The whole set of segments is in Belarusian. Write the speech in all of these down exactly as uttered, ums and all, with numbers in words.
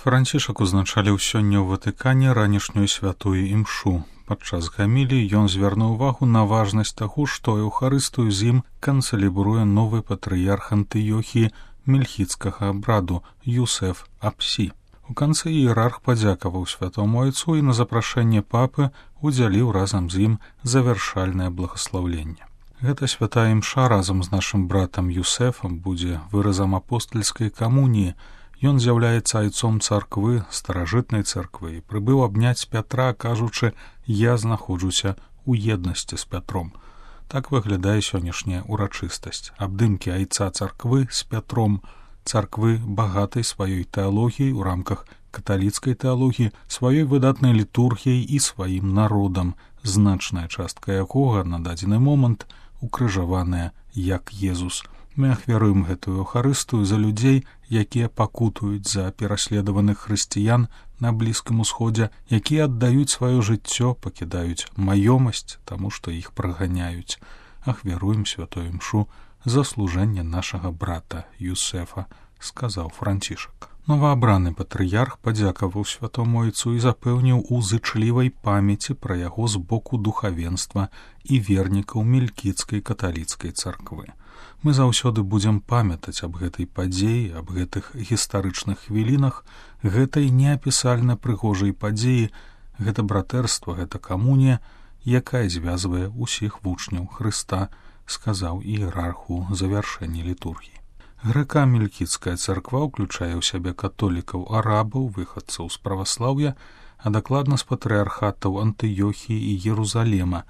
Францішак узначаліў сёння ў Ватыкане ранішнюю святую імшу. Падчас гаміліі ён звярнуў увагу на важнасць таго, што Еўхарыстыю з ім канцэлібруе новы патрыярх Антыёхіі мельхіцкага абраду Юсеф Апсі. У канцы іерарх падзякаваў святому айцу і на запрашэнне папы удзяліў разам з ім завяршальнае благаслаўленне. Гэта святая імша разам з нашым братам Юсефам будзе выразам апостальскай камуніі. Ён з'яўляецца айцом царквы, старажытнай царквы, і прыбыў абняць Пятра, кажучы: «Я знаходжуся ў еднасці з Пятром». Так выглядае сённяшняя урачыстасць. Абдымкі айца царквы з Пятром, царквы багатай сваёй тэалогіяй у рамках каталіцкай тэалогіі, сваёй выдатнай літургіяй і сваім народам, значная частка якога на дадзены момант укрыжаваная як Езус. Мы ахвяруем гэтую Еўхарыстыю за людзей, якія пакутуюць за пераследаваных хрысціян на Блізкім Усходзе, якія аддаюць сваё жыццё, пакідаюць маёмасць, таму што іх праганяюць. Ахвяруем святую імшу за служэнне нашага брата Юсефа, сказаў Францішак. Новаабраны патрыярх падзякаваў святому айцу і запэўніў у зычлівай памяці пра яго з боку духавенства і вернікаў мелькіцкай каталіцкай царквы. Мы заўсёды будзем памятаць аб гэтай падзеі, аб гэтых гістарычных хвілінах, гэтай неапісальна прыгожай падзеі, гэта братэрства, гэта камунія, якая звязвае ўсіх вучняў Хрыста, сказаў іерарх у завяршэнні літургіі. Грэка-мелькіцкая царква ўключае ў сябе католікаў, арабаў, выхадцаў з праваслаўя, а дакладна з патрыярхатаў Антыёхіі і Єрусалема.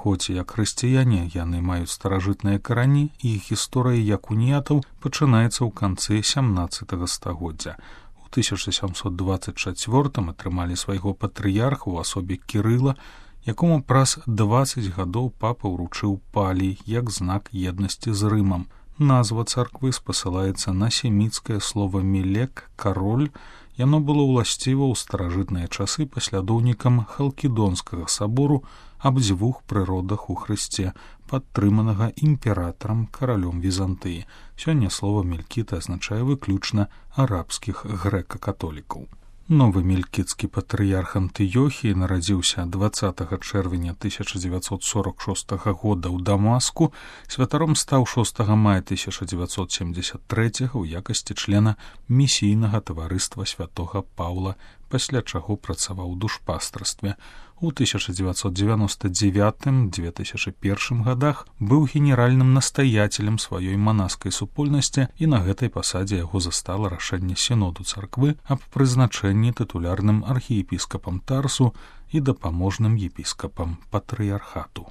Хоць як хрысціяне яны маюць старажытныя карані, і іх гісторыя як уніятаў пачынаецца ў канцы сямнаццатага стагоддзя. У тысяча сямсот дваццаць чацвёртым атрымалі свайго патрыярха ў асобе Кірыла, якому праз дваццаць гадоў папа ўручыў палій як знак еднасці з Рымам. Назва царквы спасылаецца на семіцкае слова «мелек» — «кароль». Яно было ўласціва ў старажытныя часы паслядоўнікам Халкідонскага сабору аб дзвюх прыродах у Хрысце, падтрыманага імператарам каралём Візантыі. Сёння слова «мелькіт» азначае выключна арабскіх грэка-католікаў. Новы мелькіцкі патрыярх Антыёхіі нарадзіўся дваццатага чэрвеня тысяча дзевяцьсот сорок шостага года ў Дамаску, святаром стаў шостага мая тысяча дзевяцьсот семдзесят трэцяга ў якасці члена місійнага таварыства святога Паўла, пасля чаго працаваў у душпастарстве. У тысяча дзевяцьсот дзевяноста дзевятым — две тысячы першым гадах быў генеральным настаяцелем сваёй манаскай супольнасці, і на гэтай пасадзе яго застала рашэнне сіноду царквы аб прызначэнні тытулярным архіепіскапам Тарсу і дапаможным епіскапам патрыярхату.